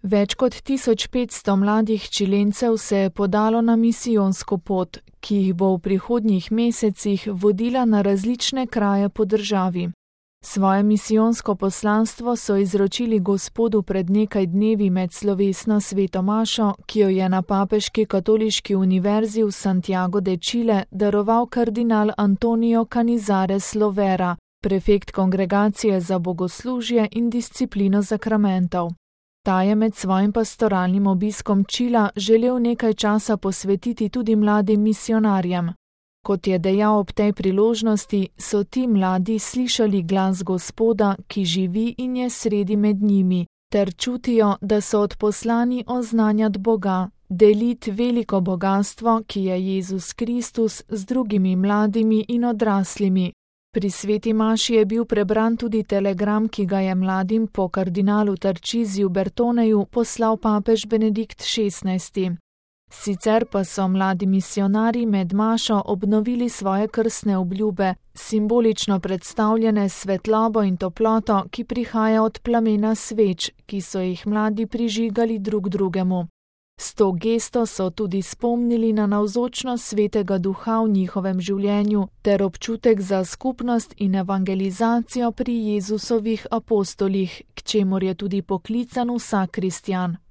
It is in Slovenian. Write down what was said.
Več kot 1500 mladih Čilencev se je podalo na misijonsko pot, ki jih bo v prihodnjih mesecih vodila na različne kraje po državi. Svoje misijonsko poslanstvo so izročili Gospodu pred nekaj dnevi med slovesno sveto mašo, ki jo je na Papeški katoliški univerzi v Santiago de Chile daroval kardinal Antonio Canizares Lovera, prefekt Kongregacije za bogoslužje in disciplino zakramentov. Ta je med svojim pastoralnim obiskom Čila želel nekaj časa posvetiti tudi mladim misionarjem. Kot je dejal ob tej priložnosti, so ti mladi slišali glas Gospoda, ki živi in je sredi med njimi, ter čutijo, da so odposlani oznanjati Boga, deliti veliko bogastvo, ki je Jezus Kristus, z drugimi mladimi in odraslimi. Pri sveti maši je bil prebran tudi telegram, ki ga je mladim po kardinalu Tarčiziju Bertoneju poslal papež Benedikt XVI. Sicer pa so mladi misionarji med mašo obnovili svoje krstne obljube, simbolično predstavljene s svetlobo in toploto, ki prihaja od plamena sveč, ki so jih mladi prižigali drug drugemu. S to gesto so tudi spomnili na navzočnost Svetega Duha v njihovem življenju ter občutek za skupnost in evangelizacijo pri Jezusovih apostolih, k čemur je tudi poklican vsak kristjan.